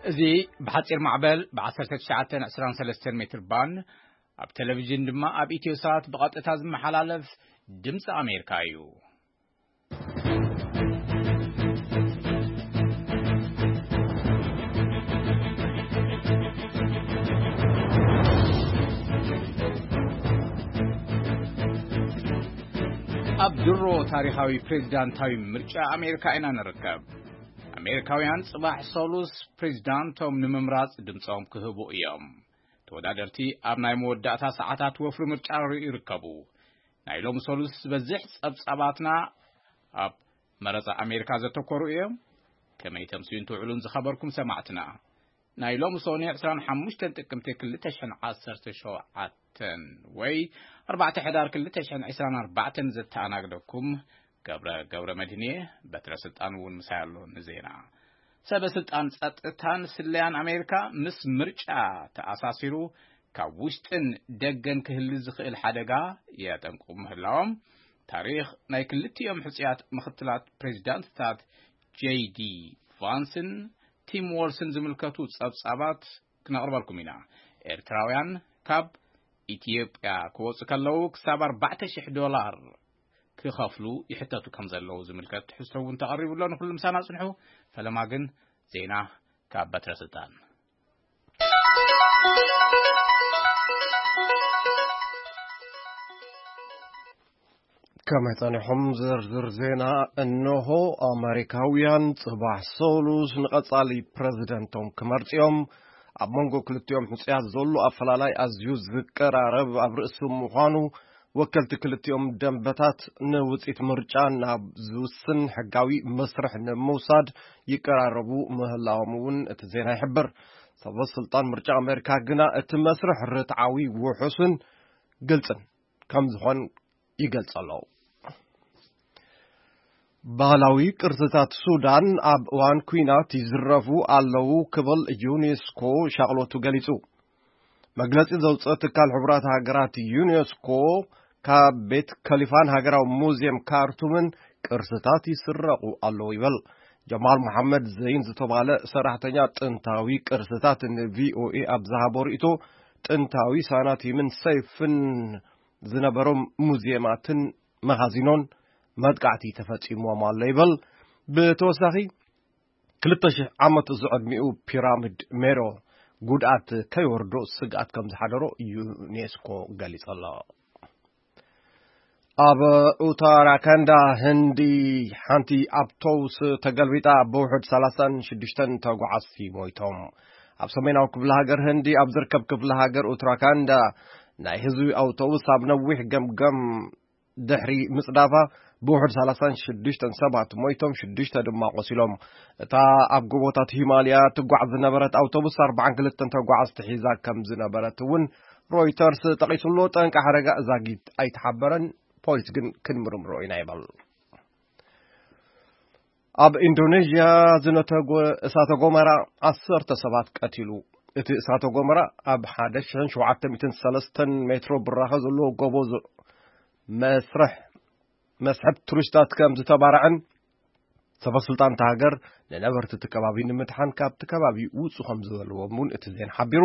እዚ ብሓጺር ማዕበል ብ1923 ሜትር ባንድ፣ ኣብ ቴሌቪዥን ድማ ኣብ ኢትዮ ሳት ብቐጥታ ዝመሓላለፍ ድምፂ ኣሜሪካ እዩ። ኣብ ድሮ ታሪኻዊ ፕሬዚዳንታዊ ምርጫ ኣሜሪካ ኢና ንርከብ። ኣሜሪካውያን ጽባሕ ሰሉስ ፕሬዚዳንቶም ንምምራጽ ድምጾም ክህቡ እዮም። ተወዳደርቲ ኣብ ናይ መወዳእታ ሰዓታት ወፍሪ ምርጫ ይርከቡ። ናይ ሎሚ ሰሉስ ዝበዝሕ ጸብጻባትና ኣብ መረጻ ኣሜሪካ ዘተኮሩ እዮም። ከመይ ተምስዩን ትውዕሉን ዝኸበርኩም ሰማዕትና፣ ናይ ሎሚ ሶኒ 25 ጥቅምቲ 2017 ወይ 4 ሕዳር 2024 ዘተኣናግደኩም ገብረ ገብረ መድህን እየ። በትረ ስልጣን እውን ምሳይ ኣሎ። ንዜና፣ ሰበ ስልጣን ጸጥታን ስለያን ኣሜሪካ ምስ ምርጫ ተኣሳሲሩ ካብ ውሽጥን ደገን ክህሊ ዝኽእል ሓደጋ የጠንቁ ምህላዎም ታሪኽ ናይ ክልቲኦም ሕጹያት ምኽትላት ፕሬዚዳንትታት ጄዲ ቫንስን ቲም ዎልስን ዝምልከቱ ጸብጻባት ክነቕርበልኩም ኢና። ኤርትራውያን ካብ ኢትዮጵያ ክወጹ ከለዉ ክሳብ 4,000 ዶላር ክኸፍሉ ይሕተቱ ከም ዘለዉ ዝምልከት ትሕዝቶ እውን ተቐሪቡ ኣሎ። ንኹሉ ምሳና ጽንሑ። ፈለማ ግን ዜና ካብ በትረ ስልጣን። ከመይ ጸኒሖም? ዝርዝር ዜና እንሆ። ኣመሪካውያን ጽባሕ ሰሉስ ንቐጻሊ ፕረዚደንቶም ክመርጽ እዮም። ኣብ መንጎ ክልቲኦም ሕጹያት ዘሎ ኣፈላላይ ኣዝዩ ዝቀራረብ ኣብ ርእሲ ምዃኑ፣ ወከልቲ ክልቲኦም ደንበታት ንውጽኢት ምርጫ ናብ ዝውስን ሕጋዊ መስርሕ ንምውሳድ ይቀራረቡ ምህላዎም እውን እቲ ዜና ይሕብር። ሰበ ስልጣን ምርጫ ኣመሪካ ግና እቲ መስርሕ ርትዓዊ፣ ውሑስን ግልጽን ከም ዝኾን ይገልጽ ኣሎ። ባህላዊ ቅርስታት ሱዳን ኣብ እዋን ኲናት ይዝረፉ ኣለዉ ክብል ዩኔስኮ ሻቕሎቱ ገሊጹ። መግለጺ ዘውጽአ ትካል ሕቡራት ሃገራት ዩኔስኮ፣ ካብ ቤት ከሊፋን ሃገራዊ ሙዚየም ካርቱምን ቅርስታት ይስረቑ ኣለዉ ይበል። ጀማል መሓመድ ዘይን ዝተባለ ሰራሕተኛ ጥንታዊ ቅርስታት ንቪኦኤ ኣብ ዝሃቦ ርእይቶ፣ ጥንታዊ ሳናቲምን ሰይፍን ዝነበሮም ሙዚየማትን መኻዚኖን መጥቃዕቲ ተፈጺምዎም ኣሎ ይበል። ብተወሳኺ፣ 2,000 ዓመት ዝዕድሚኡ ፒራሚድ ሜሮ ጉድኣት ከይወርዶ ስግኣት ከም ዝሓደሮ ዩኔስኮ ገሊጹ ኣሎ። ኣብ ኡታራካንዳ ህንዲ፣ ሓንቲ ኣውቶቡስ ተገልቢጣ ብውሑድ 36 ተጓዓዝቲ ሞይቶም። ኣብ ሰሜናዊ ክፍለ ሃገር ህንዲ ኣብ ዝርከብ ክፍለ ሃገር ኡትራካንዳ፣ ናይ ህዝቢ ኣውቶቡስ ኣብ ነዊሕ ገምገም ድሕሪ ምጽዳፋ፣ ብውሑድ 36 ሰባት ሞይቶም፣ ሽዱሽተ ድማ ቆሲሎም። እታ ኣብ ጎቦታት ሂማልያ ትጓዓዝ ዝነበረት ኣውቶቡስ 42 ተጓዓዝቲ ሒዛ ከም ዝነበረት እውን ሮይተርስ ጠቒሱ ኣሎ። ጠንቂ ሓደጋ ዛጊት ኣይተሓበረን። ፖሊስ ግን ክንምርምሮ ኢና ይበል። ኣብ ኢንዶኔዥያ ዝነተጎ እሳተ ጎመራ ዓሰርተ ሰባት ቀቲሉ። እቲ እሳተ ጎመራ ኣብ 1,703 ሜትሮ ብራኸ ዘለዎ ጎቦ ዝ-፣ መስርሕ፣ መስሕብ ቱሪስታት ከም ዝተባረዐን ሰበ ስልጣን እታ ሃገር ንነበርቲ እቲ ከባቢ ንምድሓን ካብቲ ከባቢ ውጹ ከም ዝበልዎም እውን እቲ ዜና ሓቢሩ።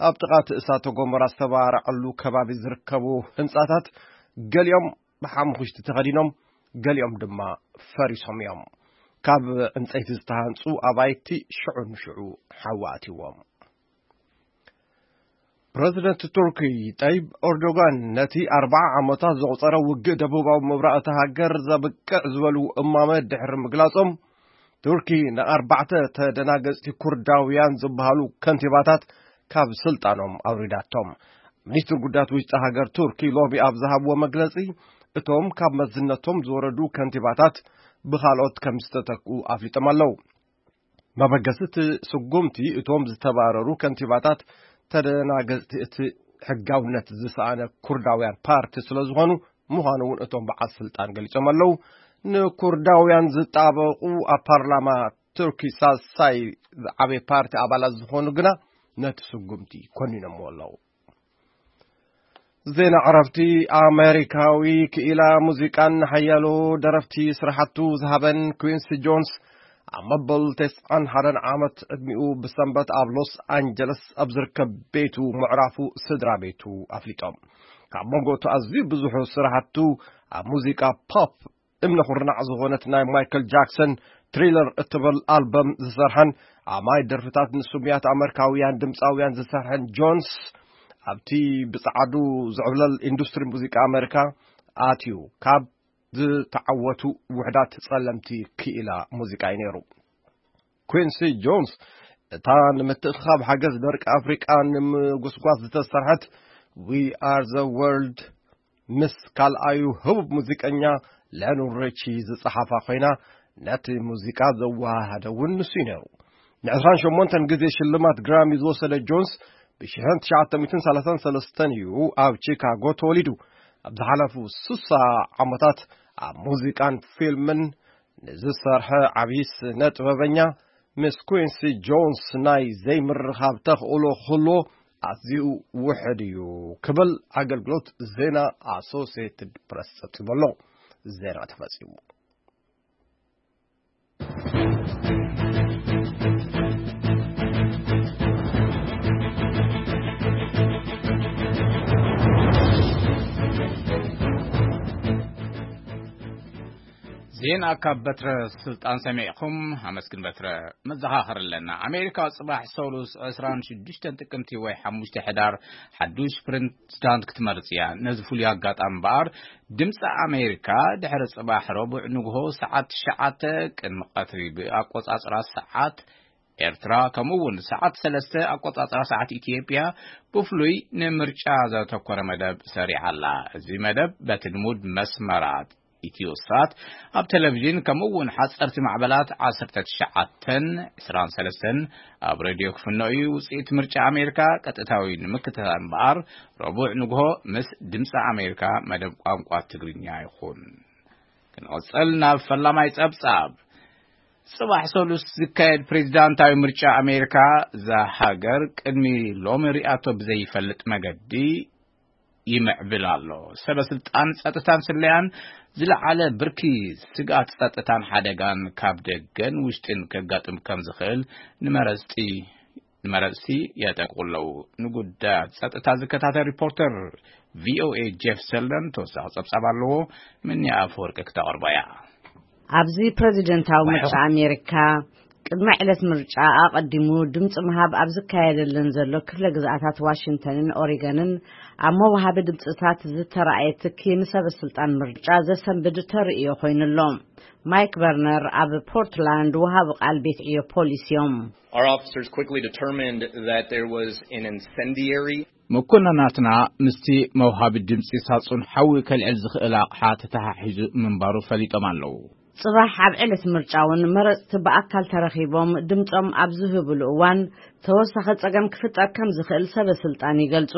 ኣብ ጥቓ እቲ እሳተ ጎመራ ዝተባረዐሉ ከባቢ ዝርከቡ ህንጻታት ገሊኦም ብሓሙኽሽቲ ተኸዲኖም፣ ገሊኦም ድማ ፈሪሶም እዮም። ካብ ዕንጸይቲ ዝተሃንጹ ኣባይቲ ሽዑ ንሽዑ ሓዊ ኣትይዎም። ፕረዚደንት ቱርኪ ጠይብ ኤርዶጋን ነቲ ኣርብዓ ዓመታት ዘቑጸረ ውግእ ደቡባዊ ምብራቕ እታ ሃገር ዘብቅዕ ዝበሉ እማመ ድሕሪ ምግላጾም፣ ቱርኪ ንኣርባዕተ ተደናገጽቲ ኩርዳውያን ዝበሃሉ ከንቲባታት ካብ ስልጣኖም ኣውሪዳቶም። ሚኒስትር ጉዳያት ውሽጢ ሃገር ቱርኪ ሎሚ ኣብ ዝሃብዎ መግለጺ፣ እቶም ካብ መዝነቶም ዝወረዱ ከንቲባታት ብኻልኦት ከም ዝተተክኡ ኣፍሊጦም ኣለዉ። መበገሲ እቲ ስጉምቲ፣ እቶም ዝተባረሩ ከንቲባታት ተደናገጽቲ እቲ ሕጋውነት ዝሰኣነ ኩርዳውያን ፓርቲ ስለ ዝኾኑ ምዃኑ እውን እቶም በዓል ስልጣን ገሊጾም ኣለዉ። ንኩርዳውያን ዝጣበቑ ኣብ ፓርላማ ቱርኪ ሳልሳይ ዝዓበየ ፓርቲ ኣባላት ዝኾኑ ግና ነቲ ስጉምቲ ኮኒኖምዎ ኣለዉ። ዜና ዕረፍቲ። ኣሜሪካዊ ክኢላ ሙዚቃን ሓያሎ ደረፍቲ ስራሓቱ ዝሃበን ኩዊንሲ ጆንስ ኣብ መበል ተስዓን ሓደን ዓመት ዕድሚኡ ብሰንበት ኣብ ሎስ ኣንጀለስ ኣብ ዝርከብ ቤቱ ምዕራፉ ስድራ ቤቱ ኣፍሊጦም። ካብ መንጎ እቲ ኣዝዩ ብዙሑ ስራሕቱ ኣብ ሙዚቃ ፖፕ እምነ ኩርናዕ ዝኾነት ናይ ማይክል ጃክሰን ትሪለር እትብል ኣልበም ዝሰርሐን ኣማይ ደርፍታት ንስሙያት ኣመሪካውያን ድምፃውያን ዝሰርሐን ጆንስ ኣብቲ ብጸዓዱ ዝዕብለል ኢንዱስትሪ ሙዚቃ ኣመሪካ ኣትዩ ካብ ዝተዓወቱ ውሕዳት ጸለምቲ ክኢላ ሙዚቃ እዩ ነይሩ። ኩንሲ ጆንስ እታ ንምትእኻብ ሓገዝ ደርቂ ኣፍሪቃ ንምጉስጓስ ዝተሰርሐት We Are the World ምስ ካልኣዩ ህቡብ ሙዚቀኛ ሊዮነል ሪቺ ዝጸሓፋ ኮይና፣ ነቲ ሙዚቃ ዘወሃሃደ እውን ንሱ እዩ ነይሩ። ን28 ግዜ ሽልማት ግራሚ ዝወሰደ ጆንስ ብ1933 እዩ ኣብ ቺካጎ ተወሊዱ። ኣብ ዝሓለፉ ስሳ ዓመታት ኣብ ሙዚቃን ፊልምን ንዝሰርሐ ዓቢ ስነ ጥበበኛ ምስ ኩንሲ ጆንስ ናይ ዘይምርኻብ ተኽእሎ ክህልዎ ኣዝዩ ውሕድ እዩ ክብል ኣገልግሎት ዜና ኣሶሲየትድ ፕረስ ጸብጺቡ ኣሎ። ዜና ተፈጺሙ። ዜና ካብ በትረ ስልጣን ሰሚዕኹም። ኣመስግን በትረ። መዘኻኸር ኣለና። ኣሜሪካ ጽባሕ ሰሉስ 26 ጥቅምቲ ወይ 5 ሕዳር ሓዱሽ ፕሬዝዳንት ክትመርጽ እያ። ነዚ ፍሉይ ኣጋጣሚ እምበኣር ድምፂ ኣሜሪካ ድሕሪ ጽባሕ ረቡዕ ንግሆ ሰዓት ትሽዓተ ቅድሚ ቀትሪ ብኣቆጻጽራ ሰዓት ኤርትራ፣ ከምኡ እውን ሰዓት ሰለስተ ኣቆጻጽራ ሰዓት ኢትዮጵያ ብፍሉይ ንምርጫ ዘተኮረ መደብ ሰሪዓ ኣላ። እዚ መደብ በቲ ልሙድ መስመራት ኢትዮሳት ኣብ ቴሌቪዥን፣ ከምኡ እውን ሓፀርቲ ማዕበላት ዓሰርተ ትሽዓተን ዕስራን ሰለስተን ኣብ ሬድዮ ክፍኖ እዩ። ውፅኢት ምርጫ ኣሜሪካ ቀጥታዊ ንምክትታል እምበኣር ረቡዕ ንግሆ ምስ ድምፂ ኣሜሪካ መደብ ቋንቋ ትግርኛ ይኹን። ክንቕፅል ናብ ፈላማይ ጸብጻብ። ጽባሕ ሰሉስ ዝካየድ ፕሬዝዳንታዊ ምርጫ ኣሜሪካ፣ እዛ ሃገር ቅድሚ ሎሚ ሪኣቶ ብዘይፈልጥ መገዲ ይምዕብል ኣሎ። ሰበ ስልጣን ጸጥታን ስለያን ዝለዓለ ብርኪ ስግኣት ጸጥታን ሓደጋን ካብ ደገን ውሽጥን ከጋጥም ከም ዝኽእል ንመረጽቲ ንመረጽቲ የጠንቅቑ ኣለዉ። ንጉዳያት ጸጥታ ዝከታተል ሪፖርተር ቪኦኤ ጄፍ ሰልደን ተወሳኺ ጸብጻብ ኣለዎ። ምኒ ኣፈወርቂ ክተቕርቦ እያ። ኣብዚ ፕሬዚደንታዊ ምርጫ ኣሜሪካ ቅድሚ ዕለት ምርጫ ኣቐዲሙ ድምፂ ምሃብ ኣብ ዝካየደለን ዘሎ ክፍለ ግዝኣታት ዋሽንግተንን ኦሪገንን ኣብ መውሃቢ ድምፅታት ዝተረኣየ ትኪ ንሰበ ስልጣን ምርጫ ዘሰንብድ ተርእዮ ኮይኑ ኣሎ። ማይክ በርነር ኣብ ፖርትላንድ ወሃቢ ቃል ቤት ዕዮ ፖሊስ እዮም። Our officers quickly determined that there was an incendiary መኮንናትና ምስቲ መውሃቢ ድምፂ ሳጹን ሓዊ ከልዕል ዝኽእል ኣቕሓ ተተሓሒዙ ምንባሩ ፈሊጦም ኣለዉ። ጽባሕ ኣብ ዕለት ምርጫ እውን መረጽቲ ብኣካል ተረኺቦም ድምጾም ኣብ ዝህብሉ እዋን ተወሳኺ ጸገም ክፍጠር ከም ዝኽእል ሰበ ስልጣን ይገልጹ።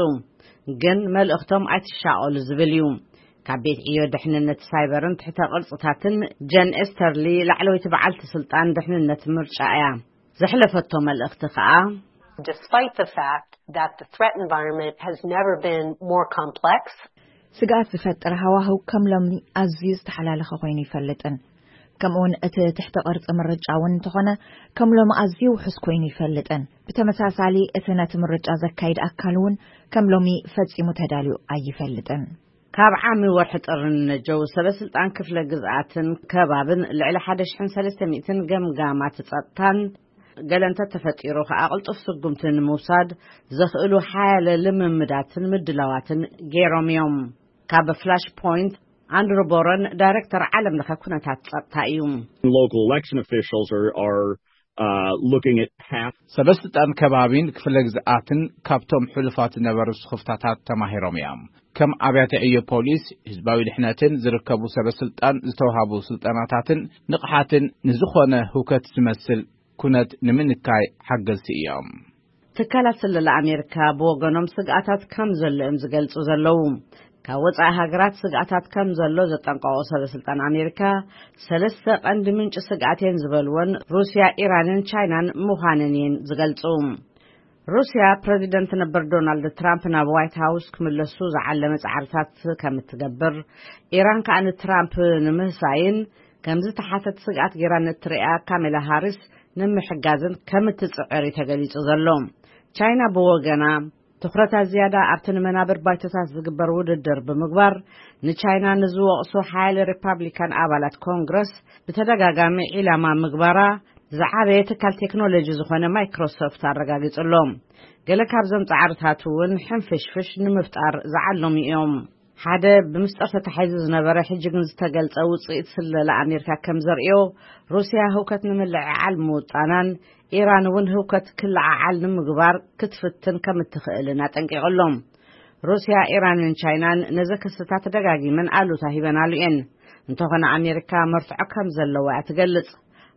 ግን መልእኽቶም ኣይትሻቐሉ ዝብል እዩ። ካብ ቤት ዕዮ ድሕንነት ሳይበርን ትሕተ ቅርጽታትን ጀን ኤስተርሊ ላዕለወይቲ በዓልቲ ስልጣን ድሕንነት ምርጫ እያ። ዘሕለፈቶ መልእኽቲ ከኣ Despite the fact that the threat environment has never been more complex, ስግኣት ዝፈጥር ሃዋህው ከም ሎሚ ኣዝዩ ዝተሓላለኸ ኮይኑ ይፈልጥን፣ ከምኡውን እቲ ትሕቲ ቅርጺ ምርጫ እውን እንተኾነ ከም ሎሚ ኣዝዩ ውሑስ ኮይኑ ይፈልጥን። ብተመሳሳሊ እቲ ነቲ ምርጫ ዘካይድ ኣካል እውን ከም ሎሚ ፈጺሙ ተዳልዩ ኣይፈልጥን። ካብ ዓሚ ወርሒ ጥሪ ንነጀው ሰበ ስልጣን ክፍለ ግዝኣትን ከባብን ልዕሊ ሓደ ሽሕን ሰለስተ ሚእትን ገምጋማት ጸጥታን ገለ እንተተፈጢሩ ከኣ ቅልጡፍ ስጉምቲ ንምውሳድ ዘኽእሉ ሓያለ ልምምዳትን ምድላዋትን ገይሮም እዮም። ካብ ፍላሽ ፖይንት ኣንድሩ ቦረን ዳይሬክተር ዓለም ለኸ ኩነታት ጸጥታ እዩ። Local election officials are, are uh, looking at half ሰበ ስልጣን ከባቢን ክፍለ ግዝኣትን ካብቶም ሕሉፋት ዝነበሩ ስኽፍታታት ተማሂሮም እዮም። ከም ኣብያተ ዕዮ ፖሊስ፣ ህዝባዊ ድሕነትን ዝርከቡ ሰበ ስልጣን ዝተውሃቡ ስልጠናታትን ንቕሓትን ንዝኾነ ህውከት ዝመስል ኩነት ንምንካይ ሓገዝቲ እዮም። ትካላት ስለላ ኣሜሪካ ብወገኖም ስግኣታት ከም ዘሎ እዮም ዝገልጹ ዘለዉ። ካብ ወጻኢ ሃገራት ስግኣታት ከም ዘሎ ዘጠንቀቑ ሰበ ስልጣን ኣሜሪካ፣ ሰለስተ ቀንዲ ምንጪ ስግኣት እየን ዝበልወን ሩስያ፣ ኢራንን ቻይናን ምዃነን እየን ዝገልጹ። ሩስያ ፕረዚደንት ነበር ዶናልድ ትራምፕ ናብ ዋይት ሃውስ ክምለሱ ዝዓለመ ጻዕርታት ከም እትገብር፣ ኢራን ከኣ ንትራምፕ ንምህሳይን ከም ዝተሓተት ስግኣት ጌራ ንእትርእያ ካሜላ ሃሪስ ንምሕጋዝን ከም እትጽዕር እዩ ተገሊጹ ዘሎ። ቻይና ብወገና ትኹረታ ዝያዳ ኣብቲ ንመናብር ባይቶታት ዝግበር ውድድር ብምግባር፣ ንቻይና ንዝወቕሱ ሓያለ ሪፓብሊካን ኣባላት ኮንግረስ ብተደጋጋሚ ዒላማ ምግባራ ዝዓበየ ትካል ቴክኖሎጂ ዝኾነ ማይክሮሶፍት ኣረጋጊጹ ኣሎ። ገለ ካብዞም ጻዕርታት እውን ሕንፍሽፍሽ ንምፍጣር ዝዓለሙ እዮም። ሓደ ብምስጢር ተታሒዙ ዝነበረ ሕጂ ግን ዝተገልጸ ውጽኢት ስለላ ኣሜሪካ ከም ዘርእዮ፣ ሩስያ ህውከት ንምልዕዓል ምውጣናን ኢራን እውን ህውከት ክለዓዓል ንምግባር ክትፍትን ከም እትኽእልን ኣጠንቂቑ ኣሎ። ሩስያ፣ ኢራንን ቻይናን ነዚ ክስታት ደጋጊመን ኣሉታ ሂበናሉ እየን። እንተኾነ ኣሜሪካ መርትዖ ከም ዘለዋ እያ ትገልጽ።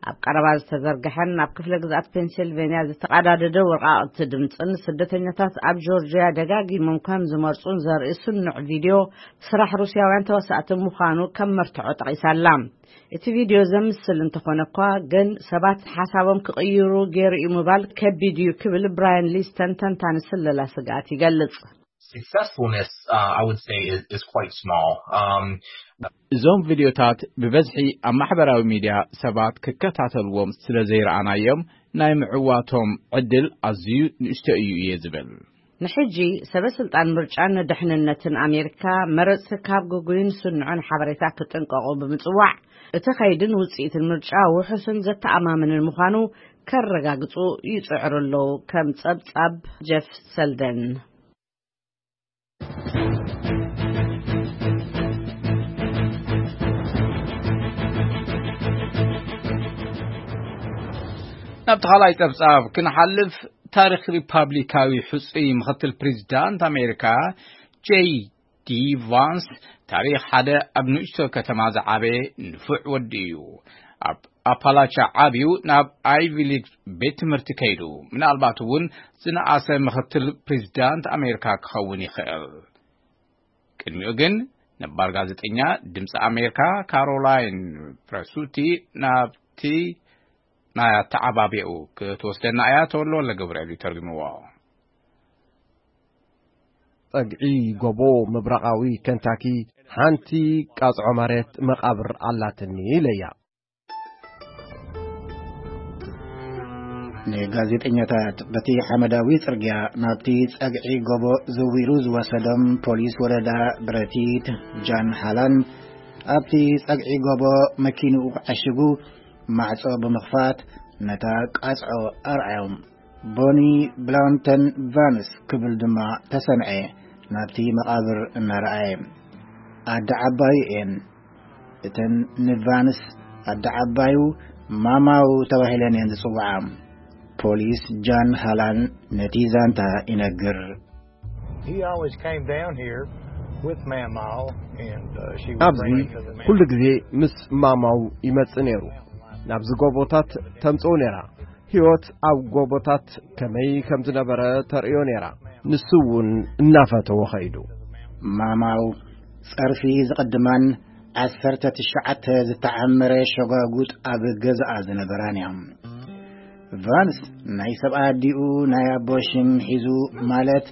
ኣብ ቀረባ ዝተዘርግሐን ኣብ ክፍለ ግዝኣት ፔንሲልቬንያ ዝተቐዳደደ ወርቃቕቲ ድምፅን ስደተኛታት ኣብ ጆርጅያ ደጋጊሞም ከም ዝመርፁን ዘርኢ ስኑዕ ቪድዮ ስራሕ ሩስያውያን ተወሳእቲ ምዃኑ ከም መርትዖ ጠቒሳላ። እቲ ቪድዮ ዘምስል እንተኾነ እኳ ግን ሰባት ሓሳቦም ክቕይሩ ገይሩ እዩ ምባል ከቢድ እዩ ክብል ብራያን ሊስተን ተንታኒ ስለላ ስግኣት ይገልጽ። Successfulness, uh, I would say, is, is quite small. Um, እዞም ቪድዮታት ብበዝሒ ኣብ ማሕበራዊ ሚድያ ሰባት ክከታተልዎም ስለ ዘይረኣናዮም ናይ ምዕዋቶም ዕድል ኣዝዩ ንእሽቶ እዩ እየ ዝብል። ንሕጂ ሰበ ስልጣን ምርጫን ንድሕንነትን ኣሜሪካ መረፅቲ ካብ ግጉይን ስኑዕን ሓበሬታ ክጥንቀቑ ብምፅዋዕ እቲ ኸይድን ውፅኢትን ምርጫ ውሑስን ዘተኣማምንን ምዃኑ ከረጋግፁ ይፅዕሩ ኣለዉ። ከም ፀብፃብ ጀፍ ሰልደን። ናብቲ ካልኣይ ጸብጻብ ክንሓልፍ፣ ታሪኽ ሪፓብሊካዊ ሕጹይ ምኽትል ፕሬዚዳንት ኣሜሪካ ጄይ ዲ ቫንስ ታሪኽ ሓደ ኣብ ንእሽቶ ከተማ ዝዓበየ ንፉዕ ወዲ እዩ። ኣብ ኣፓላቻ ዓብዩ ናብ ኣይቪ ሊግ ቤት ትምህርቲ ከይዱ፣ ምናልባት እውን ዝነኣሰ ምኽትል ፕሬዚዳንት ኣሜሪካ ክኸውን ይኽእል። ቅድሚኡ ግን ነባር ጋዜጠኛ ድምፂ ኣሜሪካ ካሮላይን ፕረሱቲ ናብቲ ናይ ኣተዓባቢኡ ክትወስደና እያ። ተወልደ ወልደ ገብርኤል እዩ ተርጉምዎ። ጸግዒ ጎቦ ምብራቓዊ ከንታኪ ሓንቲ ቃጽዖ መሬት መቓብር ኣላትኒ ኢለያ። ንጋዜጠኛታት በቲ ሓመዳዊ ጽርግያ ናብቲ ጸግዒ ጎቦ ዘዊሩ ዝወሰዶም ፖሊስ ወረዳ ብረቲት ጃን ሃላን ኣብቲ ጸግዒ ጎቦ መኪንኡ ዓሽጉ ማዕጾ ብምኽፋት ነታ ቃጽዖ ኣርኣዮም። ቦኒ ብላውንተን ቫንስ ክብል ድማ ተሰምዐ ናብቲ መቓብር እናረኣየ። ኣደ ዓባዩ እየን። እተን ንቫንስ ኣደ ዓባዩ ማማው ተባሂለን እየን ዝጽውዓ። ፖሊስ ጃን ሃላን ነቲ ዛንታ ይነግር። He always came down here with Mamaw and uh, she would ኣብዚ bring him to the ኩሉ mountain. ግዜ ምስ ማማው ይመጽእ ነይሩ። ናብዚ ጎቦታት ተምጽኡ ነይራ። ህይወት ኣብ ጎቦታት ከመይ ከም ዝነበረ ተርእዮ ነይራ። ንሱ እውን እናፈተወ ኸይዱ። ማማው ጸርፊ ዝቕድማን ዓሰርተ ትሽዓተ ዝተዓመረ ሸጓጉጥ ኣብ ገዛኣ ዝነበራን እያ። ቫንስ ናይ ሰብኣ ኣዲኡ ናይ ኣቦ ሽም ሒዙ፣ ማለት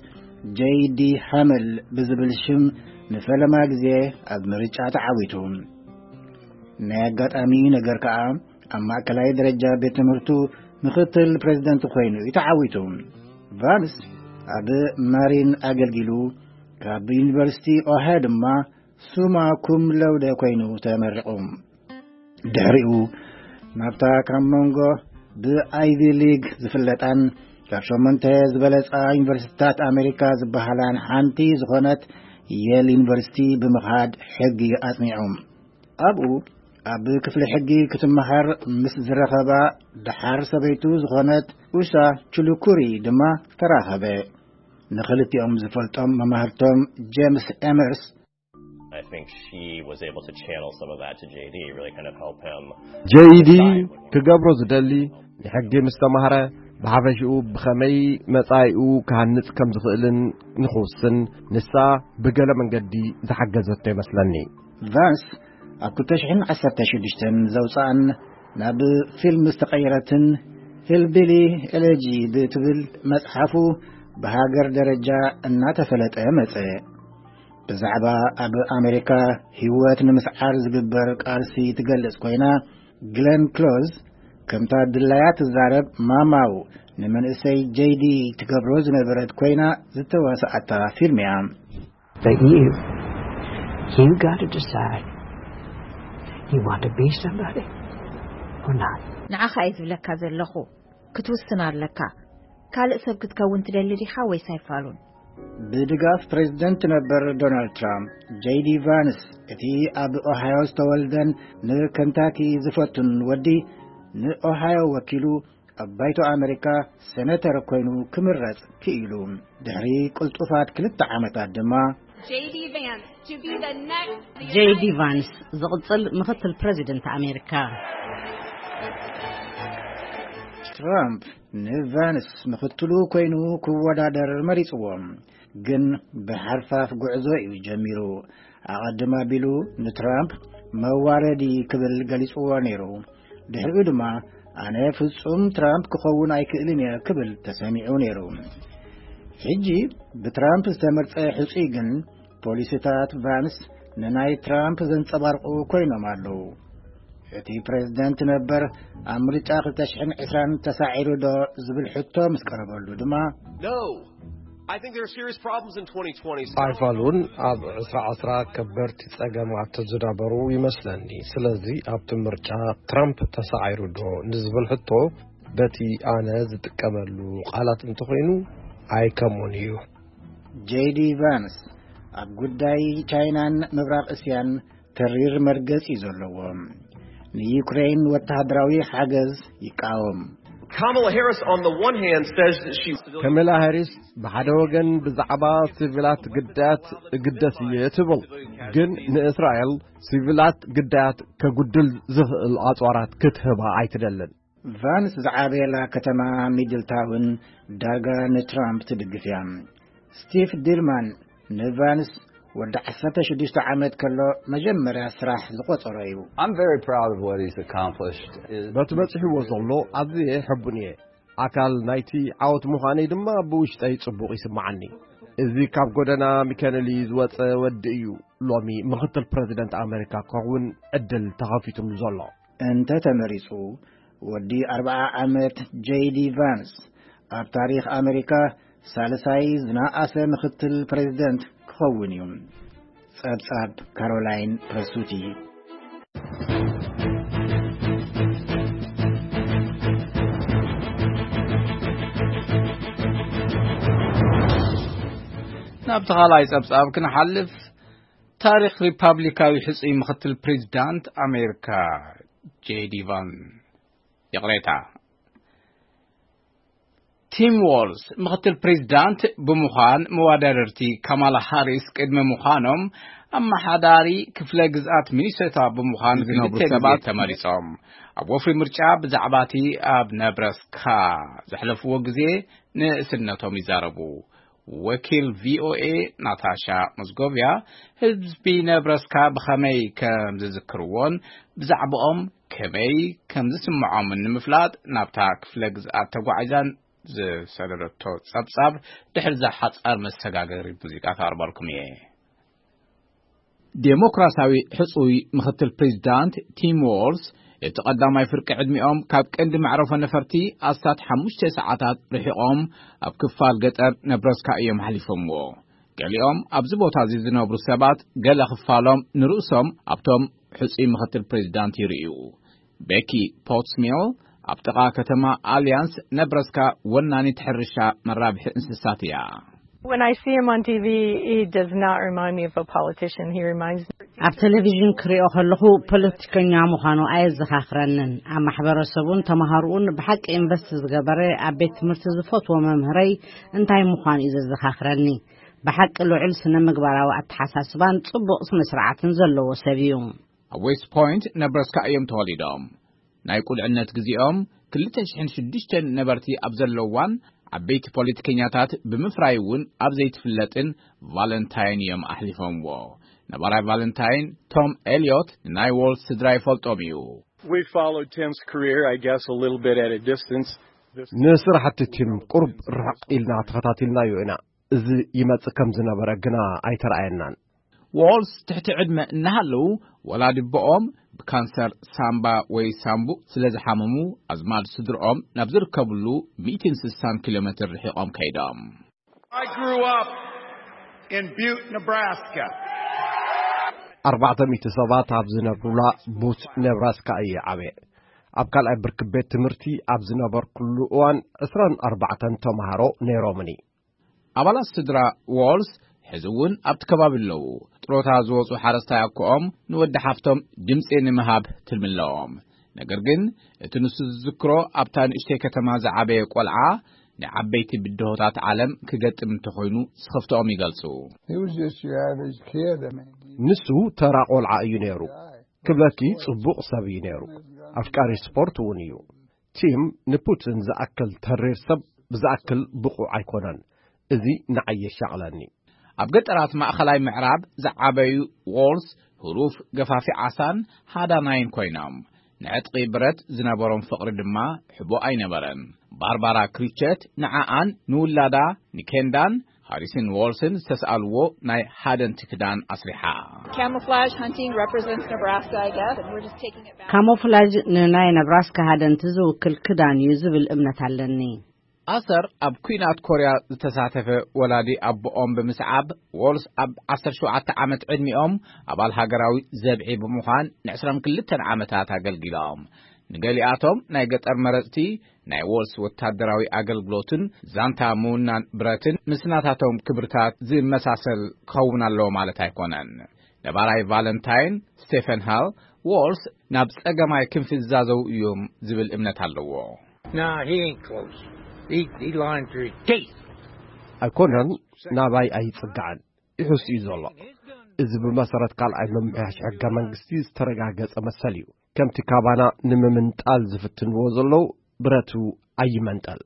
ጄይ ዲ ሃመል ብዝብል ሽም ንፈለማ ግዜ ኣብ ምርጫ ተዓዊቱ። ናይ ኣጋጣሚ ነገር ከኣ ኣብ ማእከላይ ደረጃ ቤት ትምህርቱ ምኽትል ፕሬዚደንት ኮይኑ እዩ ተዓዊቱ። ቫንስ ኣብ ማሪን ኣገልጊሉ፣ ካብ ዩኒቨርሲቲ ኦሃዮ ድማ ሱማ ኩም ለውደ ኮይኑ ተመሪቑ። ድሕሪኡ ናብታ ካብ መንጎ ብኣይቪ ሊግ ዝፍለጣን ካብ ሸሞንተ ዝበለጻ ዩኒቨርሲቲታት ኣሜሪካ ዝበሃላን ሓንቲ ዝኾነት የል ዩኒቨርሲቲ ብምኻድ ሕጊ ኣጽኒዑ። ኣብኡ ኣብ ክፍሊ ሕጊ ክትመሃር ምስ ዝረኸባ፣ ደሓር ሰበይቱ ዝኾነት ኡሻ ቹሉኩሪ ድማ ተራኸበ። ንኽልቲኦም ዝፈልጦም መማህርቶም ጄምስ ኤመርስ I think she was able to channel some of that to J D, really kind of help him. ጄይዲ ክገብሮ ዝደሊ ንሕጊ ምስ ተማህረ ብሓፈሽኡ ብኸመይ መጻኢኡ ክሃንጽ ከም ዝኽእልን ንኽውስን ንሳ ብገለ መንገዲ ዝሓገዘቶ ይመስለኒ። ቫንስ ኣብ ክልተ ሽሕን ዓሰርተ ሽዱሽተን ዘውፅኣን ናብ ፊልም ዝተቐየረትን ሂልቢሊ ኤሌጂ ብትብል መጽሓፉ ብሃገር ደረጃ እናተፈለጠ መጸ። ብዛዕባ ኣብ ኣሜሪካ ህይወት ንምስዓር ዝግበር ቃልሲ ትገልጽ ኮይና፣ ግለን ክሎዝ ከምታ ድላያ ትዛረብ ማማው ንመንእሰይ ጀይዲ ትገብሮ ዝነበረት ኮይና ዝተዋስኣታ ፊልም እያ። But you, you got to decide. You want to be somebody or not? ንዓኻ እየ ዝብለካ ዘለኹ። ክትውስን ኣለካ። ካልእ ሰብ ክትከውን ትደሊ ዲኻ ወይስ ኣይፋሉን? ብድጋፍ ፕሬዝደንት ነበር ዶናልድ ትራምፕ፣ ጄዲ ቫንስ፣ እቲ ኣብ ኦሃዮ ዝተወልደን ንከንታኪ ዝፈቱን ወዲ፣ ንኦሃዮ ወኪሉ ኣብ ባይቶ ኣሜሪካ ሴኔተር ኮይኑ ክምረጽ ክኢሉ። ድሕሪ ቅልጡፋት ክልተ ዓመታት ድማ፣ J.D. Vance to be the next ጄዲ ቫንስ ዝቕጽል ምኽትል ፕሬዚደንት ኣሜሪካ። ትራምፕ ንቫንስ ምኽትሉ ኮይኑ ክወዳደር መሪጽዎ። ግን ብሓርፋፍ ጉዕዞ እዩ ጀሚሩ። ኣቐድም ኣቢሉ ንትራምፕ መዋረዲ ክብል ገሊጽዎ ነይሩ። ድሕሪኡ ድማ ኣነ ፍጹም ትራምፕ ክኸውን ኣይክእልን እየ ክብል ተሰሚዑ ነይሩ። ሕጂ ብትራምፕ ዝተመርጸ ሕጹይ ግን ፖሊሲታት ቫንስ ንናይ ትራምፕ ዘንጸባርቑ ኮይኖም ኣለዉ። እቲ ፕሬዝደንት ነበር ኣብ ምርጫ ክልተ ሽሕን ዕስራን ተሳዒሩ ዶ ዝብል ሕቶ ምስ ቀረበሉ ድማ፣ No. I think there are serious problems in twenty twenty. ኣይፋሉን። ኣብ ዕስራ ዕስራ ከበድቲ ጸገማት ዝነበሩ ይመስለኒ። ስለዚ ኣብቲ ምርጫ ትራምፕ ተሳዒሩ ዶ ንዝብል ሕቶ በቲ ኣነ ዝጥቀመሉ ቃላት እንተኾይኑ ኣይከምኡን እዩ። ጄዲ ቫንስ ኣብ ጉዳይ ቻይናን ምብራቕ እስያን ተሪር መርገጺ እዩ ዘለዎ። ንዩክሬን ወተሃደራዊ ሓገዝ ይቃወም። Kamala Harris, on the one hand, says that she ከመላ ሃሪስ ብሓደ ወገን ብዛዕባ ሲቪላት ግዳያት እግደስ እየ ትብል፣ ግን ንእስራኤል ሲቪላት ግዳያት ከጉድል ዝኽእል ኣጽዋራት ክትህባ ኣይትደልን። ቫንስ ዝዓበየላ ከተማ ሚድልታውን ዳርጋ ንትራምፕ ትድግፍ እያ። ስቲቭ ዲልማን ንቫንስ ወዲ ዓሰርተ ሽዱሽተ ዓመት ከሎ መጀመርያ ስራሕ ዝቆጸሮ እዩ። I'm very proud of what he's accomplished. በቲ በጺሕዎ ዘሎ ኣዝየ ሕቡን እየ። ኣካል ናይቲ ዓወት ምዃነይ ድማ ብውሽጠይ ጽቡቕ ይስምዓኒ። እዚ ካብ ጎደና ሚከነሊ ዝወጸ ወዲ እዩ ሎሚ ምኽትል ፕረዚደንት ኣመሪካ ክኸውን ዕድል ተኸፊቱሉ ዘሎ። እንተ ተመሪጹ፣ ወዲ ኣርብዓ ዓመት ጄዲ ቫንስ ኣብ ታሪኽ ኣመሪካ ሳልሳይ ዝነኣሰ ምኽትል ፕሬዝደንት ክኸውን እዩ። ጸብጻብ ካሮላይን ፕረሱቲ። ናብቲ ካልኣይ ጸብጻብ ክንሓልፍ፣ ታሪኽ ሪፓብሊካዊ ሕጹይ ምኽትል ፕሬዝዳንት ኣሜሪካ ጄዲ ቫን፣ ይቕሬታ፣ ቲም ዋልስ ምኽትል ፕሬዝዳንት ብምዃን መወዳደርቲ ካማላ ሃሪስ ቅድሚ ምዃኖም፣ ኣመሓዳሪ ክፍለ ግዝኣት ሚኒሶታ ብምዃን ዝነብሩ ክልተ ግዜ ሰባት ተመሪጾም። ኣብ ወፍሪ ምርጫ ብዛዕባ እቲ ኣብ ነብረስካ ዘሕለፍዎ ግዜ ንእስነቶም ይዛረቡ። ወኪል ቪኦኤ ናታሻ ሞዝጎቭያ ህዝቢ ነብረስካ ብኸመይ ከም ዝዝክርዎን ብዛዕባኦም ከመይ ከም ዝስምዖምን ንምፍላጥ ናብታ ክፍለ ግዝኣት ተጓዒዛን ዝሰደደቶ ጸብጻብ ድሕሪ እዛ ሓጻር መሰጋገሪ ሙዚቃ ከቕርበልኩም እየ። ዴሞክራሲያዊ ሕጹይ ምኽትል ፕሬዚዳንት ቲም ዎልስ እቲ ቀዳማይ ፍርቂ ዕድሚኦም ካብ ቀንዲ መዕረፎ ነፈርቲ ኣስታት ሓሙሽተ ሰዓታት ርሒቖም ኣብ ክፋል ገጠር ነብረስካ እዮም ሓሊፎምዎ። ገሊኦም ኣብዚ ቦታ እዚ ዝነብሩ ሰባት ገለ ክፋሎም ንርእሶም ኣብቶም ሕጹይ ምኽትል ፕሬዚዳንት ይርእዩ። ቤኪ ፖትስሚል ኣብ ጥቓ ከተማ ኣልያንስ ነብረስካ ወናኒት ሕርሻ መራብሒ እንስሳት እያ። When I see him on T V, he does not remind me of a politician. He reminds me. ኣብ ቴሌቪዥን ክሪኦ ከለኹ ፖለቲከኛ ምዃኑ ኣየዘኻኽረንን። ኣብ ማሕበረሰቡን ተምሃርኡን ብሓቂ ኢንቨስት ዝገበረ፣ ኣብ ቤት ትምህርቲ ዝፈትዎ መምህረይ እንታይ ምዃኑ እዩ ዘዘኻኽረኒ። ብሓቂ ልዑል ስነ ምግባራዊ ኣተሓሳስባን ጽቡቕ ስነ ስርዓትን ዘለዎ ሰብ እዩ። ኣብ ዌስት ፖይንት ነብረስካ እዮም ተወሊዶም። ናይ ቁልዕነት ግዜኦም ክልተ ሽሕን ሽዱሽተን ነበርቲ ኣብ ዘለዋን ዓበይቲ ፖለቲከኛታት ብምፍራይ እውን ኣብ ዘይትፍለጥን ቫለንታይን እዮም ኣሕሊፎምዎ። ነባራይ ቫለንታይን ቶም ኤልዮት ንናይ ዎልስ ስድራ ይፈልጦም እዩ። We followed Tim's career, I guess, a little bit at a distance. ንስራሕቲ ቲም ቁሩብ ርሕቕ ኢልና ተኸታቲልናዮ ኢና። እዚ ይመጽእ ከም ዝነበረ ግና ኣይተረኣየናን። ዎልስ ትሕቲ ዕድመ እናሃለዉ፣ ወላዲ ኣቦኦም ብካንሰር ሳምባ ወይ ሳምቡእ ስለ ዝሓመሙ፣ ኣዝማድ ስድርኦም ናብ ዝርከብሉ ሚእትን ስሳን ኪሎ ሜትር ርሒቖም ከይዶም። I grew up in Butte, Nebraska. ኣርባዕተ ሚእቲ ሰባት ኣብ ዝነብሩላ ቡት ኔብራስካ እየ ዓብየ። ኣብ ካልኣይ ብርኪ ቤት ትምህርቲ ኣብ ዝነበርኩሉ እዋን ዕስራን ኣርባዕተን ተምሃሮ ነይሮምኒ። ኣባላት ስድራ ዎልስ ሕዚ እውን ኣብቲ ከባቢ ኣለዉ። ጥሮታ ዝወፁ ሓረስታይ ኣኮኦም ንወዲ ሓፍቶም ድምፂ ንምሃብ ትልሚ ኣለዎም። ነገር ግን እቲ ንሱ ዝዝክሮ ኣብታ ንእሽተይ ከተማ ዝዓበየ ቆልዓ ንዓበይቲ ብድሆታት ዓለም ክገጥም እንተኾይኑ ስኽፍትኦም ይገልጹ። He was just your average kid. I mean, ንሱ ተራ ቆልዓ እዩ ነይሩ። ክብለኪ ጽቡቕ ሰብ እዩ ነይሩ። ኣፍቃሪ ስፖርት እውን እዩ። ቲም ንፑቲን ዝኣክል ተሪር ሰብ ብዝኣክል ብቑዕ ኣይኮነን። እዚ ንዓይ የሻቕለኒ። ኣብ ገጠራት ማእኸላይ ምዕራብ ዝዓበዩ ዎልስ ህሩፍ ገፋፊ ዓሳን ሃዳናይን ኮይኖም፣ ንዕጥቂ ብረት ዝነበሮም ፍቕሪ ድማ ሕቡእ ኣይነበረን። ባርባራ ክሪቸት ንዓኣን ንውላዳ ንኬንዳን ሃሪስን ዎልስን ዝተስኣልዎ ናይ ሃደንቲ ክዳን ኣስሪሓ። Camouflage hunting represents Nebraska, I guess, and we're just taking it back. ካሞፍላጅ ንናይ ነብራስካ ሃደንቲ ዝውክል ክዳን እዩ ዝብል እምነት ኣለኒ። ኣሰር ኣብ ኲናት ኮርያ ዝተሳተፈ ወላዲ ኣቦኦም ብምስዓብ፣ ዎልስ ኣብ ዓሰርተ ሸውዓተ ዓመት ዕድሚኦም ኣባል ሃገራዊ ዘብዒ ብምዃን ንዕስራን ክልተን ዓመታት ኣገልጊሎም። ንገሊኣቶም ናይ ገጠር መረጽቲ ናይ ዎልስ ወታደራዊ ኣገልግሎትን ዛንታ ምውናን ብረትን ምስ ናታቶም ክብርታት ዝመሳሰል ክኸውን ኣለዎ ማለት ኣይኮነን። ነባራይ ቫለንታይን ስቴፈን ሃል፣ ዎልስ ናብ ጸገማይ ክንፊ ዝዛዘው እዮም ዝብል እምነት ኣለዎ። Nah, he ain't close. He, he lying through his teeth. ኣይኮነን፣ ናባይ ኣይጽጋዕን፣ ይሕስ እዩ ዘሎ። እዚ ብመሰረት ካልኣይ ምምሕያሽ ሕገ መንግስቲ ዝተረጋገጸ መሰል እዩ። ከምቲ ካባና ንምምንጣል ዝፍትንዎ ዘለዉ፣ ብረቱ ኣይመንጠል።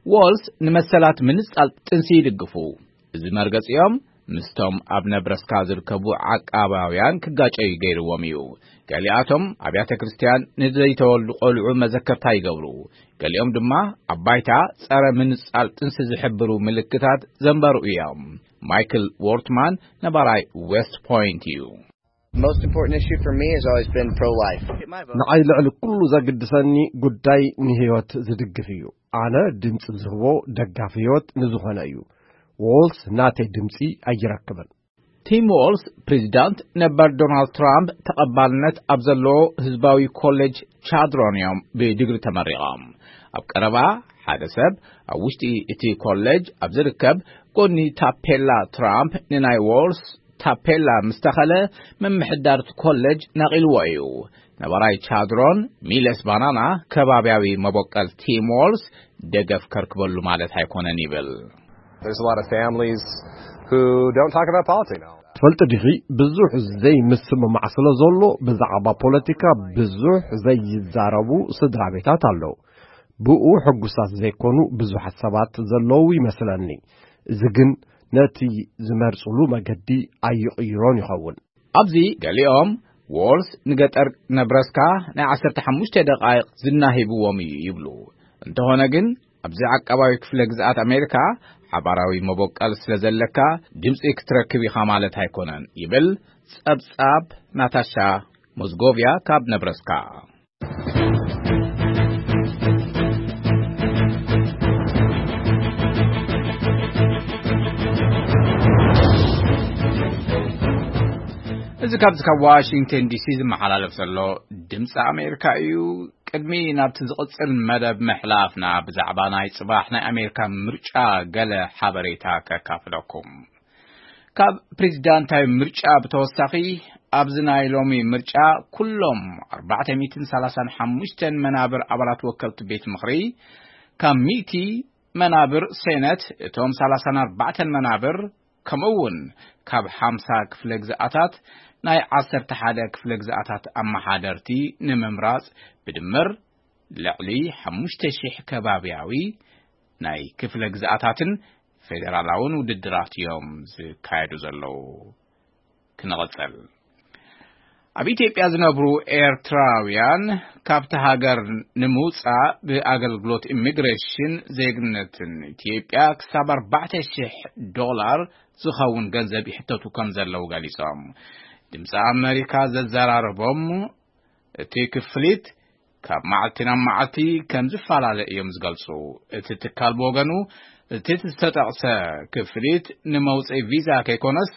ዎልስ ንመሰላት ምንጻል ጥንሲ ይድግፉ። እዚ መርገጺኦም ምስቶም ኣብ ነብረስካ ዝርከቡ ዓቃባውያን ክጋጨዩ ገይርዎም እዩ። ገሊኣቶም ኣብያተ ክርስቲያን ንዘይተወልዱ ቆልዑ መዘከርታ ይገብሩ። ገሊኦም ድማ ኣብ ባይታ ጸረ ምንጻል ጥንሲ ዝሕብሩ ምልክታት ዘንበሩ እዮም። ማይክል ዎርትማን ነባራይ ዌስት ፖይንት እዩ። Most important issue for me has always been pro-life. ንዓይ ልዕሊ ኩሉ ዘግድሰኒ ጉዳይ ንህይወት ዝድግፍ እዩ። ኣነ ድምፂ ዝህቦ ደጋፊ ህይወት ንዝኾነ እዩ። ዎልስ ናተይ ድምፂ ኣይረክብን። ቲም ዎልስ ፕሬዚዳንት ነበር ዶናልድ ትራምፕ ተቐባልነት ኣብ ዘለዎ ህዝባዊ ኮሌጅ ቻድሮን እዮም ብዲግሪ ተመሪቖም። ኣብ ቀረባ ሓደ ሰብ ኣብ ውሽጢ እቲ ኮሌጅ ኣብ ዝርከብ ጎኒ ታፔላ ትራምፕ ንናይ ዎልስ ታፔላ ምስ ተኸለ፣ ምምሕዳር እቲ ኮሌጅ ነቒልዎ እዩ። ነባራይ ቻድሮን ሚለስ ባናና ከባብያዊ መበቆል ቲም ዎልስ ደገፍ ከርክበሉ ማለት ኣይኮነን ይብል። There's a lot of families who don't talk about politics. ትፈልጢ ዲኺ፣ ብዙሕ ዘይምስምማዕ ስለ ዘሎ ብዛዕባ ፖለቲካ ብዙሕ ዘይዛረቡ ስድራ ቤታት ኣለዉ። ብኡ ሕጉሳት ዘይኮኑ ብዙሓት ሰባት ዘለዉ ይመስለኒ። እዚ ግን ነቲ ዝመርጽሉ መገዲ ኣይቕይሮን ይኸውን። ኣብዚ ገሊኦም ዎልስ ንገጠር ነብረስካ ናይ ዓሰርተ ሓሙሽተ ደቓይቕ ዝና ሂብዎም እዩ ይብሉ። እንተኾነ ግን ኣብዚ ዓቃባዊ ክፍለ ግዝኣት ኣሜሪካ ሓባራዊ መበቀል ስለ ዘለካ ድምፂ ክትረክብ ኢኻ ማለት ኣይኮነን ይብል ጸብጻብ ናታሻ ሞዝጎቭያ ካብ ነብረስካ። እዚ ካብዚ ካብ ዋሽንግተን ዲሲ ዝመሓላለፍ ዘሎ ድምፂ ኣሜሪካ እዩ። ቅድሚ ናብቲ ዝቕጽል መደብ ምሕላፍና፣ ብዛዕባ ናይ ጽባሕ ናይ ኣሜሪካ ምርጫ ገለ ሓበሬታ ከካፍለኩም። ካብ ፕሬዚዳንታዊ ምርጫ ብተወሳኺ፣ ኣብዚ ናይ ሎሚ ምርጫ ኩሎም ኣርባዕተ ሚእትን ሰላሳን ሓሙሽተን መናብር ኣባላት ወከልቲ ቤት ምኽሪ፣ ካብ ሚእቲ መናብር ሴነት፣ እቶም ሰላሳን ኣርባዕተን መናብር፣ ከምኡ እውን ካብ ሓምሳ ክፍለ ግዝኣታት ናይ ዓሰርተ ሓደ ክፍለ ግዝኣታት ኣመሓደርቲ ንምምራጽ፣ ብድምር ልዕሊ ሓሙሽተ ሽሕ ከባብያዊ ናይ ክፍለ ግዝኣታትን ፌደራላውን ውድድራት እዮም ዝካየዱ ዘለዉ። ክንቕጽል። ኣብ ኢትዮጵያ ዝነብሩ ኤርትራውያን ካብቲ ሃገር ንምውጻእ ብኣገልግሎት ኢሚግሬሽን ዜግነትን ኢትዮጵያ ክሳብ ኣርባዕተ ሽሕ ዶላር ዝኸውን ገንዘብ ይሕተቱ ከም ዘለዉ ገሊጾም። ድምፂ ኣመሪካ ዘዘራረቦም እቲ ክፍሊት ካብ መዓልቲ ናብ መዓልቲ ከም ዝፈላለ እዮም ዝገልጹ። እቲ ትካል ብወገኑ፣ እቲ ዝተጠቕሰ ክፍሊት ንመውፅኢ ቪዛ ከይኮነስ፣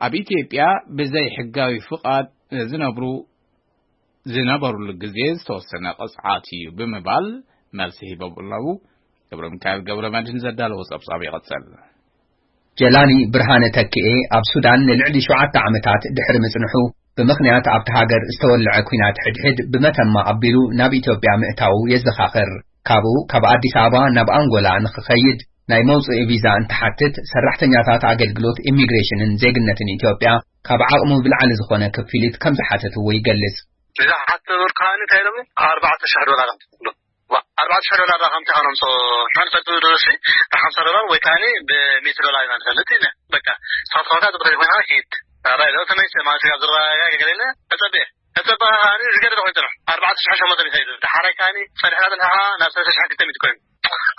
ኣብ ኢትዮጵያ ብዘይ ሕጋዊ ፍቓድ ዝነብሩ፣ ዝነበሩሉ ግዜ ዝተወሰነ ቅፅዓት እዩ ብምባል መልሲ ሂቦም ኣለዉ። ገብረ ሚካኤል ገብረ መድህን ዘዳለዎ ጸብጻብ ይቐጽል። ጀላኒ ብርሃነ ተኪኤ ኣብ ሱዳን ንልዕሊ ሸውዓተ ዓመታት ድሕሪ ምጽንሑ፣ ብምኽንያት ኣብቲ ሃገር ዝተወልዐ ኲናት ሕድሕድ ብመተማ ኣቢሉ ናብ ኢትዮጵያ ምእታዉ የዘኻኽር። ካብኡ ካብ ኣዲስ ኣበባ ናብ ኣንጎላ ንኽኸይድ ናይ መውጽኢ ቪዛ እንትሓትት፣ ሰራሕተኛታት ኣገልግሎት ኢሚግሬሽንን ዜግነትን ኢትዮጵያ ካብ ዓቕሙ ብላዕሊ ዝኾነ ክፍሊት ከም ዝሓተትዎ ይገልጽ። እዛ ሓተበርካኒ እንታይ ኢሎምኒ? ኣርባዕተ ሽሕ ዶላር ኣምፅእ። ኣርባዕተ ሽሕ ዶላር ዳኣ ከምቲ ካኖምሶ ንፈልጥ ድረሲ ብሓምሳ ዶላር ወይ ከዓኒ ብሚእቲ ዶላር ኢና ንፈልጥ ኢለ። በቃ፣ ንስኻ ትኸውታ ትብኸል ኮይና ሂድ። ራይ ዶ ተመይሰ ማለት ጋር ዝረጋገ ገለ ኢለ እጸበየ። እጸበ ከዓኒ ዝገደደ ኮይኑ ጽንሑ። ኣርባዕተ ሽሕ ሸሞንተ ሚእቲ ኢሉ። ደሓራይ ከዓኒ ጸኒሕና ጽንሕኻ ናብ ሰለስተ ሽሕ ክልተ ሚእቲ ኮይኑ።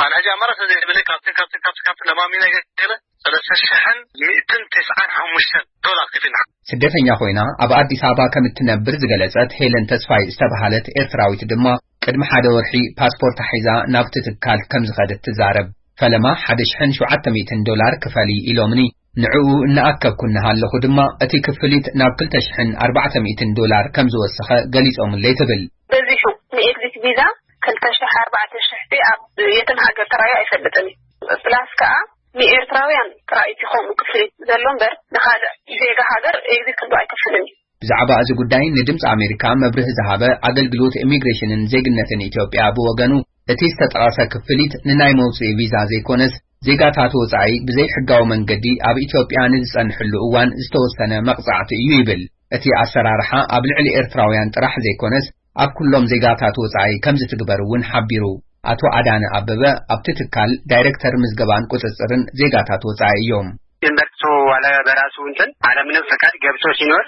ኣነ ሕጂ ኣማራጺ ዘይብለይ ካብቲ፣ ካብቲ፣ ካብቲ፣ ካብቲ ለማሚና ገለ ሰለስተ ሽሕን ሚእትን ተስዓን ሓሙሽተን ዶላር ከፊልና። ስደተኛ ኮይና ኣብ ኣዲስ ኣበባ ከም እትነብር ዝገለጸት ሄለን ተስፋይ ዝተባህለት ኤርትራዊት ድማ፣ ቅድሚ ሓደ ወርሒ ፓስፖርታ ሒዛ ናብቲ ትካል ከም ዝኸደት ትዛረብ። ፈለማ ሓደ ሽሕን ሸውዓተ ሚእትን ዶላር ክፈሊ ኢሎምኒ። ንዕኡ እናኣከብኩ እናሃለኹ ድማ፣ እቲ ክፍሊት ናብ ክልተ ሽሕን ኣርባዕተ ሚእትን ዶላር ከም ዝወሰኸ ገሊጾምለይ ትብል። በዚሑ ንኤግዚት ቪዛ ክልተ ሽሕ ኣርባዕተ ሽሕ ኣብ የትም ሃገር ተራእዩ ኣይፈልጥን እዩ። ፕላስ ከኣ ንኤርትራውያን ጥራይ እቲ ከምኡ ክፍሊት ዘሎ እምበር፣ ንኻልእ ዜጋ ሃገር ኤግዚት ክንዱ ኣይከፍልን እዩ። ብዛዕባ እዚ ጉዳይ ንድምፂ ኣሜሪካ መብርሂ ዝሃበ ኣገልግሎት ኢሚግሬሽንን ዜግነትን ኢትዮጵያ ብወገኑ፣ እቲ ዝተጠቐሰ ክፍሊት ንናይ መውፅኢ ቪዛ ዘይኮነስ፣ ዜጋታት ወፃኢ ብዘይሕጋዊ መንገዲ ኣብ ኢትዮጵያ ንዝፀንሕሉ እዋን ዝተወሰነ መቕፃዕቲ እዩ ይብል። እቲ ኣሰራርሓ ኣብ ልዕሊ ኤርትራውያን ጥራሕ ዘይኮነስ፣ ኣብ ኩሎም ዜጋታት ወጻኢ ከም ዝትግበር እውን ሓቢሩ። ኣቶ ኣዳነ ኣበበ ኣብቲ ትካል ዳይሬክተር ምዝገባን ቁጽጽርን ዜጋታት ወጻኢ እዮም። ዩኒቨርሲቲ ዋላ በራሱ እንትን አለምንም ፈቃድ ገብቶ ሲኖር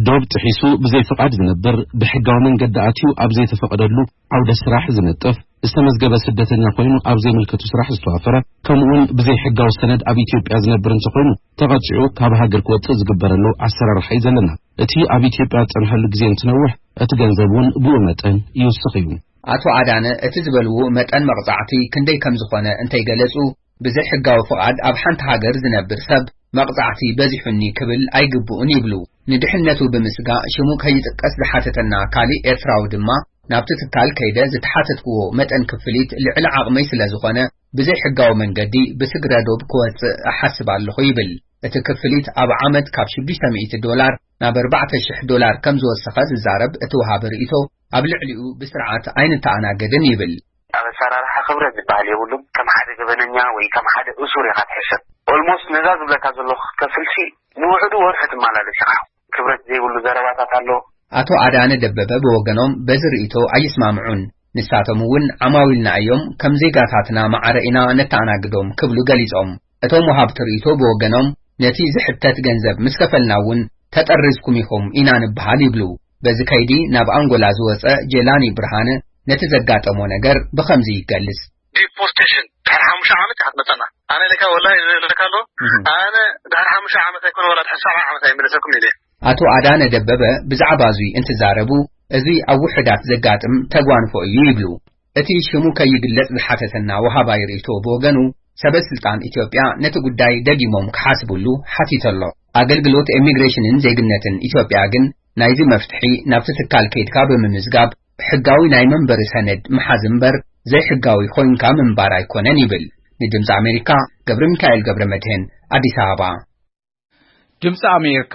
ዶብ ጥሒሱ ብዘይ ፍቓድ ዝነብር፣ ብሕጋዊ መንገዲ ኣትዩ ኣብ ዘይተፈቐደሉ ዓውደ ስራሕ ዝነጥፍ፣ ዝተመዝገበ ስደተኛ ኮይኑ ኣብ ዘይምልከቱ ስራሕ ዝተዋፈረ፣ ከምኡውን ብዘይ ሕጋዊ ሰነድ ኣብ ኢትዮጵያ ዝነብር እንተኾይኑ፣ ተቐጺዑ ካብ ሃገር ክወጽእ ዝግበረሉ ኣሰራርሓ እዩ ዘለና። እቲ ኣብ ኢትዮጵያ ዝጸንሐሉ ግዜ እንትነውሕ፣ እቲ ገንዘብ እውን ብኡ መጠን ይውስኽ እዩ። ኣቶ ኣዳነ እቲ ዝበልዎ መጠን መቕጻዕቲ ክንደይ ከም ዝኾነ እንተይገለጹ፣ ብዘይ ሕጋዊ ፍቓድ ኣብ ሓንቲ ሃገር ዝነብር ሰብ መቕጻዕቲ በዚሑኒ ክብል ኣይግብኡን ይብሉ። ንድሕነቱ ብምስጋእ ሽሙ ከይጥቀስ ዝሓተተና ካሊእ ኤርትራዊ ድማ፣ ናብቲ ትካል ከይደ ዝተሓተትክዎ መጠን ክፍሊት ልዕሊ ዓቕመይ ስለ ዝኾነ፣ ብዘይ ሕጋዊ መንገዲ ብስግረ ዶብ ክወጽእ እሓስብ ኣለኹ ይብል። እቲ ክፍሊት ኣብ ዓመት ካብ ሽዱሽተ ሚእቲ ዶላር ናብ ኣርባዕተ ሽሕ ዶላር ከም ዝወሰኸ ዝዛረብ እቲ ወሃቢ ርእይቶ፣ ኣብ ልዕሊኡ ብስርዓት ኣይንተኣናገድን ይብል። ኣብ ኣሰራርሓ ክብረት ዝበሃል የብሉን። ከም ሓደ ገበነኛ ወይ ከም ሓደ እሱር ኢኻ ትሕሰብ። ኦልሞስት ነዛ ዝብለካ ዘለኹ ክትከፍልሲ ንውዕዱ ወርሒ ትመላለስ ኢኻ። ክብረት ዘይብሉ ዘረባታት ኣሎ። ኣቶ ኣዳነ ደበበ ብወገኖም በዚ ርእይቶ ኣይስማምዑን። ንሳቶም እውን ዓማዊልና እዮም፣ ከም ዜጋታትና ማዕረ ኢና ነተኣናግዶም ክብሉ ገሊጾም። እቶም ወሃብቲ ርእይቶ ብወገኖም፣ ነቲ ዝሕተት ገንዘብ ምስ ከፈልና እውን ተጠሪዝኩም ኢኹም ኢና ንበሃል ይብሉ። በዚ ከይዲ ናብ ኣንጎላ ዝወጸ ጀላኒ ብርሃነ ነቲ ዘጋጠሞ ነገር ብኸምዚ ይገልጽ። ዲፖርቴሽን ድሕሪ ሓሙሽተ ዓመት ኢኻ ትመጸና። ኣነ ኢለካ ወላሂ ኢለካ ኣሎ። እህ። ኣነ ድሕሪ ሓሙሽተ ዓመት ኣይኮነ ወላ ድሕሪ ሰብዓ ዓመት ኣይምለሰኩም ኢለ። ኣቶ ኣዳነ ደበበ ብዛዕባ እዙይ እንትዛረቡ፣ እዚ ኣብ ውሑዳት ዘጋጥም ተጓንፎ እዩ ይብሉ። እቲ ሽሙ ከይግለጽ ዝሓተተና ወሃባይ ርእይቶ ብወገኑ፣ ሰበ ስልጣን ኢትዮጵያ ነቲ ጉዳይ ደጊሞም ክሓስቡሉ ሓቲቱ ኣሎ። ኣገልግሎት ኢሚግሬሽንን ዜግነትን ኢትዮጵያ ግን፣ ናይዚ መፍትሒ ናብቲ ትካል ከይድካ ብምምዝጋብ፣ ሕጋዊ ናይ መንበሪ ሰነድ ምሓዝ እምበር፣ ዘይሕጋዊ ኮይንካ ምንባር ኣይኮነን ይብል። ንድምፂ ኣሜሪካ፣ ገብረ ሚካኤል ገብረ መድህን፣ ኣዲስ ኣበባ። ድምፂ ኣሜሪካ፣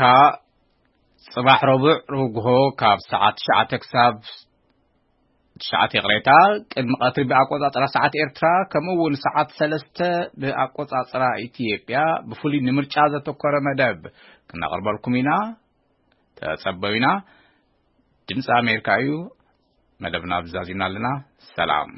ጽባሕ ረቡዕ ርግሆ ካብ ሰዓት ትሽዓተ ክሳብ ትሽዓተ፣ ይቕሬታ፣ ቅድሚ ቀትሪ ብኣቆጻጽራ ሰዓት ኤርትራ፣ ከምኡ እውን ሰዓት ሰለስተ ብኣቆጻጽራ ኢትዮጵያ፣ ብፍሉይ ንምርጫ ዘተኮረ መደብ ክነቕርበልኩም ኢና። ተጸበዩና። ድምፂ ኣሜሪካ እዩ። መደብና ብዛዚምና ኣለና። ሰላም።